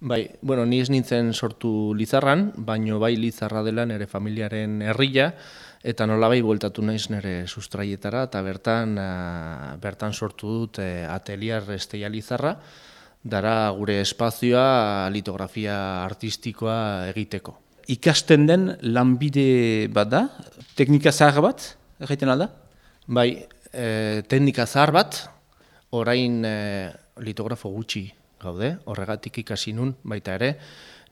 Bai, bueno, ni ez nintzen sortu Lizarran, baino bai Lizarra dela nire familiaren herria, eta nolabai bueltatu naiz nire sustraietara, eta bertan sortu dut atelier Esteia Lizarra, dara gure espazioa litografia artistikoa egiteko. Ikasten den lanbide bat da, teknika zahar bat, egiten alda? Bai, teknika zahar bat, orain litografo gutxi gaude, horregatik ikasi nun baita ere,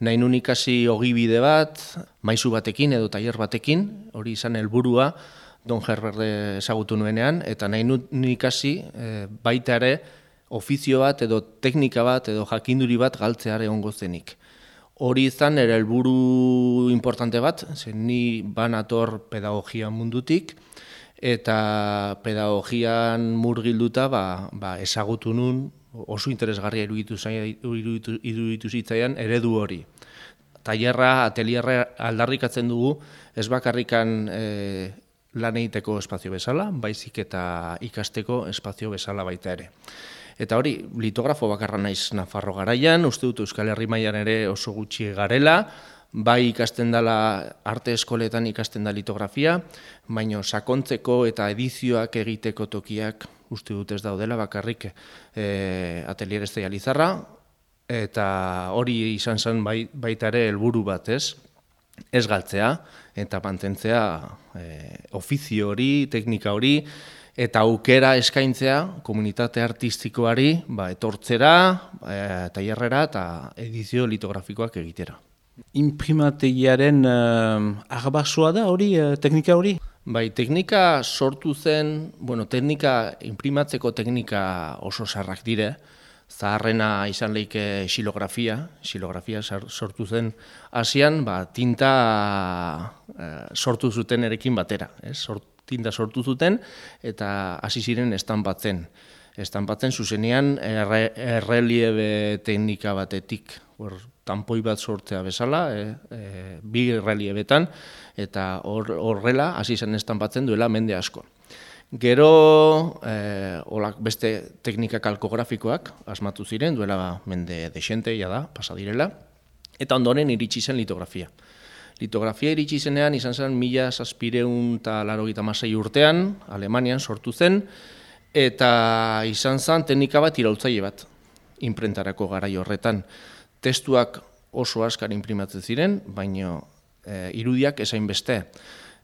nahi nun ikasi ogibide bat, maisu batekin edo tailer batekin, hori izan helburua Don Herbert ezagutu nuenean, eta nahi nun ikasi baita ere ofizio bat edo teknika bat edo jakinduri bat galtzeare egongo zenik. Hori izan ere helburu importante bat, zen ni banator pedagogia mundutik, eta pedagogian murgilduta ezagutu nun, oso interesgarria iruditu zitzaidan eredu hori. Tailerra, atelierra aldarrikatzen dugu, ez bakarrikan lan egiteko espazio bezala, baizik eta ikasteko espazio bezala baita ere. Eta hori, litografo bakarra naiz Nafarro garaian, uste dut Euskal Herri mailan ere oso gutxi garela, bai ikasten dela arte eskoletan ikasten da litografia, baina sakontzeko eta edizioak egiteko tokiak uste dut ez daudela bakarrik atelier Esteia Lizarra, eta hori izan zen baita ere helburu bat ez galtzea eta mantentzea ofizio hori, teknika hori, eta aukera eskaintzea komunitate artistikoari etortzera, tailerrera eta edizio litografikoak egitera. Imprimategiaren arbasoa da hori, teknika hori? Bai, teknika sortu zen, imprimatzeko teknika oso zarrak dire, zaharrena izan leike xilografia sortu zen hasian, tinta sortu zuten erekin batera, tinta sortu zuten eta hasi ziren estanpatzen. Estanpatzen zuzenean erreliebe teknika batetik, tanpoi bat sortzea bezala, bi reliebetan, eta horrela hasi zen estanpatzen duela mende asko. Gero beste teknika kalkografikoak asmatu ziren, duela mende desenteia da, pasa direla, eta ondoren iritsi zen litografia. Litografia iritsi zenean izan zen 1796 urtean, Alemanian sortu zen, eta izan zen teknika bat iraultzaile bat, imprentarako garai horretan. Testuak oso askar imprimatzen ziren, baina irudiak esain beste.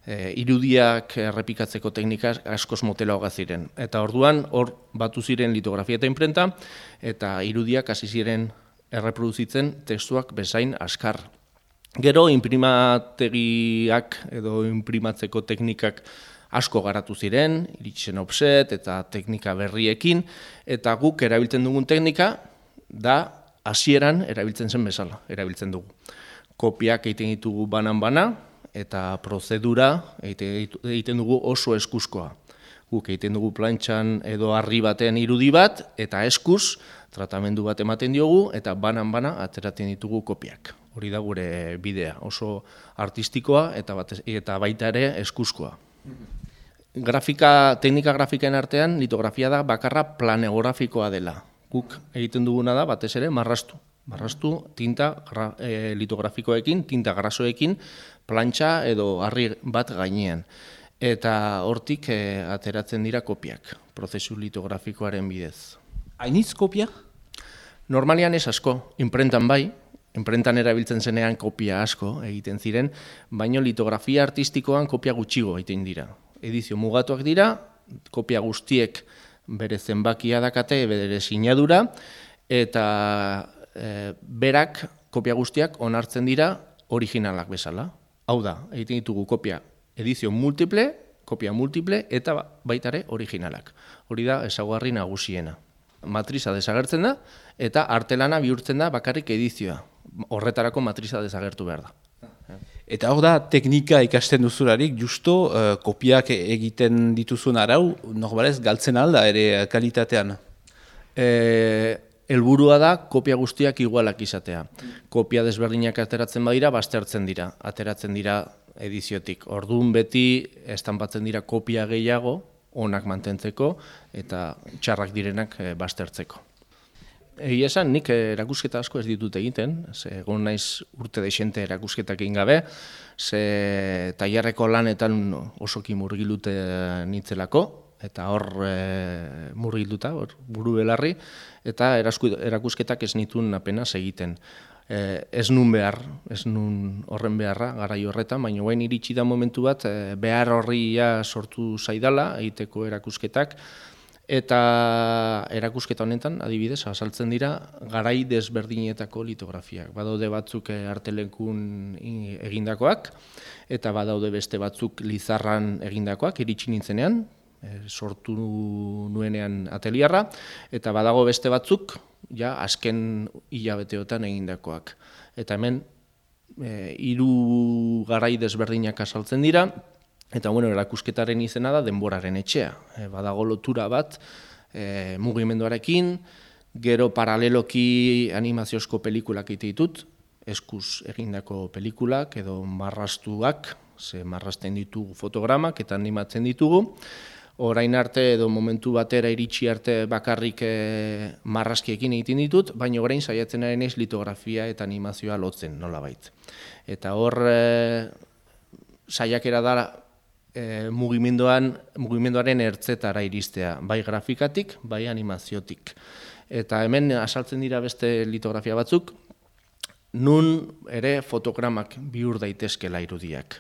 Irudiak errepikatzeko teknika askoz motelagoa ziren. Eta orduan hor batu ziren litografia eta imprenta, eta irudiak hasi ziren erreproduzitzen testuak bezain askar. Gero imprimategiak edo imprimatzeko teknikak asko garatu ziren, iritsen offset eta teknika berriekin, eta guk erabiltzen dugun teknika da hasieran erabiltzen zen bezala, erabiltzen dugu. Kopiak egiten ditugu banan-bana, eta prozedura egiten dugu oso eskuzkoa. Guk egiten dugu plantxan edo harri baten irudi bat, eta eskuz, tratamendu bat ematen diogu, eta banan-bana ateratzen ditugu kopiak. Hori da gure bidea, oso artistikoa eta baita ere eskuzkoa. Teknika grafikaen artean, litografia da bakarra planegorafikoa dela. Guk egiten duguna da batez ere marraztu. Marraztu tinta litografikoekin, tinta grasoekin, plantxa edo harri bat gainean. Eta hortik ateratzen dira kopiak, prozesu litografikoaren bidez. Hainitz kopia? Normalian ez asko, imprentan bai, imprentan erabiltzen zenean kopia asko egiten ziren, baina litografia artistikoan kopia gutxigo egiten dira. Edizio mugatuak dira, kopia guztiek bere zenbakia dakate, bere sinadura, eta berak kopia guztiak onartzen dira originalak bezala. Hau da, egiten ditugu kopia edizio multiple, kopia multiple eta baitare originalak. Hori da ezaugarri nagusiena. Matriza desagertzen da eta artelana bihurtzen da bakarrik edizioa. Horretarako matriza desagertu behar da. Eta hor da, teknika ikasten duzularik, justo kopiak egiten dituzun arau, normalez galtzen alda ere kalitatean? Helburua da kopia guztiak igualak izatea. Kopia desberdinak ateratzen badira, baztertzen dira, ateratzen dira ediziotik. Orduan beti estanpatzen dira kopia gehiago, onak mantentzeko eta txarrak direnak baztertzeko. Egia esan, nik erakusketa asko ez ditut egiten, ze egon naiz urte desente erakusketak egin gabe, ze tailerreko lanetan osoki murgilute nintzelako, eta hor murgilduta, buru belarri, eta erakusketak ez nituen apenas egiten. Ez nun behar, ez nun horren beharra, garai horretan, baina guain iritsi da momentu bat, behar horria sortu zaidala, egiteko erakusketak, eta erakusketa honetan, adibidez, azaltzen dira, garai desberdinetako litografiak. Badaude batzuk artelekun egindakoak, eta badaude beste batzuk Lizarran egindakoak, iritsi nintzenean, sortu nuenean ateliarra, eta badago beste batzuk, ja, azken hilabeteotan egindakoak. Eta hemen, 3 garai desberdinak azaltzen dira, eta erakusketaren izena da denboraren etxea. Badago lotura bat mugimenduarekin, gero paraleloki animaziozko pelikulak egite ditut, eskuz egindako pelikulak edo marrastuak, ze marrasten ditugu fotogramak eta animatzen ditugu. Orain arte edo momentu batera iritsi arte bakarrik marraskiekin egiten ditut, baina orain saiatzen ari naiz litografia eta animazioa lotzen nolabait. Eta hor saiakera da mugimenduaren ertzetara iristea, bai grafikatik, bai animaziotik. Eta hemen azaltzen dira beste litografia batzuk, nun ere fotogramak bihur daitezkela irudiak.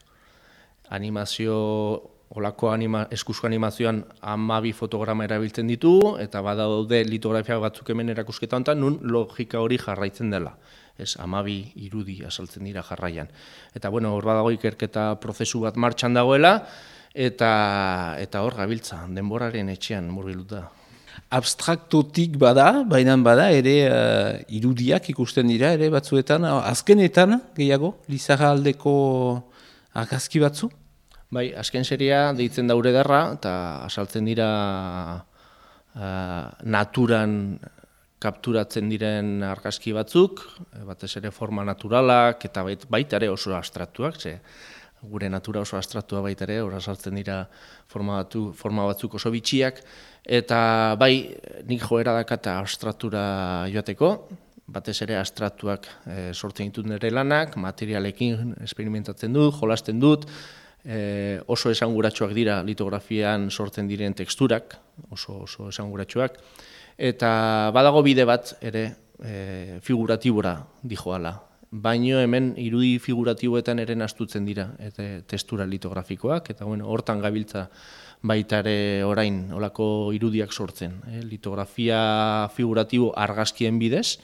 Animazio, olako eskuzko animazioan 12 fotograma erabiltzen ditugu, eta badaude litografia batzuk hemen erakusketa honetan, nun logika hori jarraitzen dela. Ez, 12 irudi azaltzen dira jarraian. Eta hor badago ikerketa prozesu bat martxan dagoela, eta hor gabiltza, denboraren etxean murgilduta. Abstraktotik bada, baina bada ere irudiak ikusten dira, ere batzuetan, azkenetan gehiago, Lizarra aldeko argazki batzu? Bai, azken seria deitzen da Urederra, eta azaltzen dira naturan kapturatzen diren argazki batzuk, batez ere forma naturalak, eta baita ere oso abstraktuak, ze gure natura oso abstraktua baita ere, hor azaltzen dira forma batzuk oso bitxiak, eta bai, nik joera dakata abstraktura joateko, batez ere abstraktuak sortzen ditut nire lanak, materialekin experimentatzen dut, jolasten dut, oso esanguratsuak dira litografian sortzen diren teksturak, oso esanguratsuak, eta badago bide bat ere figuratibora dijoala. Baino hemen irudi figuratiboetan ere astutzen dira testura litografikoak, eta hortan gabiltza baita ere orain olako irudiak sortzen. Litografia figuratibo argazkien bidez,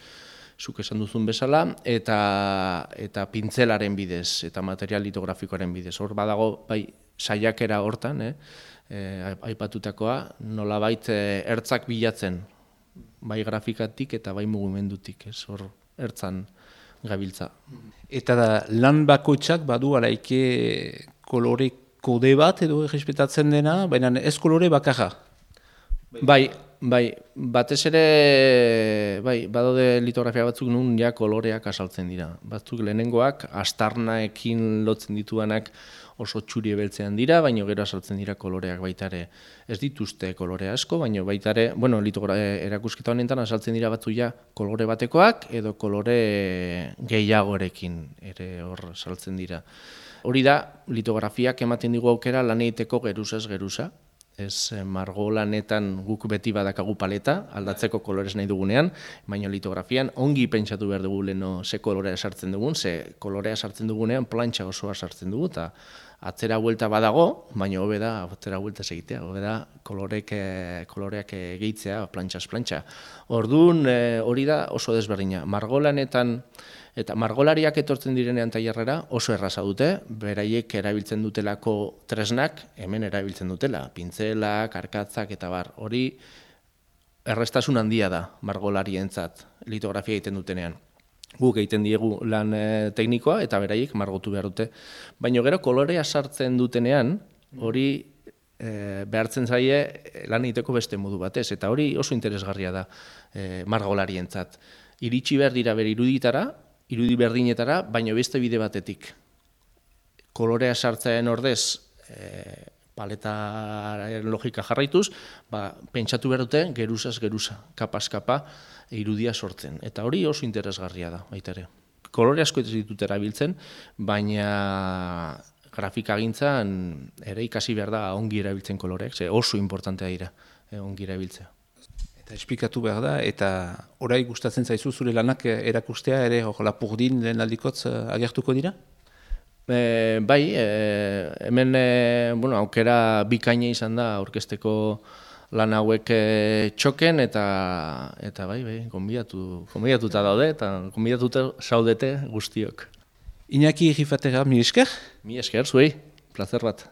zuk esan duzun bezala, eta pintzelaren bidez, eta material litografikoaren bidez. Hor badago bai saiakera hortan, aipatutakoa, nolabait ertzak bilatzen, bai grafikatik eta bai mugimendutik, hor ertzan gabiltza. Eta lan bakoitzak badu alaike kolore kode bat edo errespetatzen dena, baina ez kolore bakarra? Bai, batez ere, badaude litografia batzuk nun ja koloreak azaltzen dira. Batzuk lehenengoak, astarnaekin lotzen dituanak oso txuri ebeltzean dira, baina gero azaltzen dira koloreak baita ere. Ez dituzte kolore asko, baina baita ere, erakusketa honetan azaltzen dira batzuk ja kolore batekoak edo kolore gehiagorekin ere hor azaltzen dira. Hori da, litografiak ematen digu aukera lan egiteko geruzaz geruza. Ez margolanetan guk beti badakagu paleta, aldatzeko kolorez nahi dugunean, baina litografian ongi pentsatu behar dugu leheno ze kolorea sartzen dugun, ze kolorea sartzen dugunean plantxa osoa sartzen dugu, eta atzera buelta badago, baina hobe da atzera buelta egitea, hobe da koloreak gehitzea plantxaz plantxa. Orduan hori da oso desberdina. Margolanetan eta margolariak etortzen direnean tailerrera oso erraza dute, beraiek erabiltzen dutelako tresnak hemen erabiltzen dutela, pintzelak, arkatzak eta bar. Hori errestasun handia da margolarientzat litografia egiten dutenean. Guk egiten diegu lan teknikoa eta beraiek margotu behar dute. Baina gero kolorea sartzen dutenean, hori behartzen zaie lan egiteko beste modu batez, eta hori oso interesgarria da margolarientzat. Iritsi behar dira bere irudi berdinetara, baina beste bide batetik. Kolorea sartzearen ordez paletaren logika jarraituz, pentsatu behar dute geruzaz geruza, kapaz kapa irudia sortzen. Eta hori oso interesgarria da, baita ere. Kolore asko ez ditut erabiltzen, baina grafikagintzan ere ikasi behar da ongi erabiltzen koloreak, ze oso importantea dira ongi erabiltzea. Eta esplikatu behar da, eta orai gustatzen zaizu zure lanak erakustea ere lapurdin lehen aldikotz agertuko dira? Bai, hemen aukera bikaina izan da aurkezteko lan hauek txoken, eta bai, gonbidatuta daude, eta gonbidatuta saudete guztiok. Iñaki Rifatera, mi esker? Mi esker, zuei, plazer bat.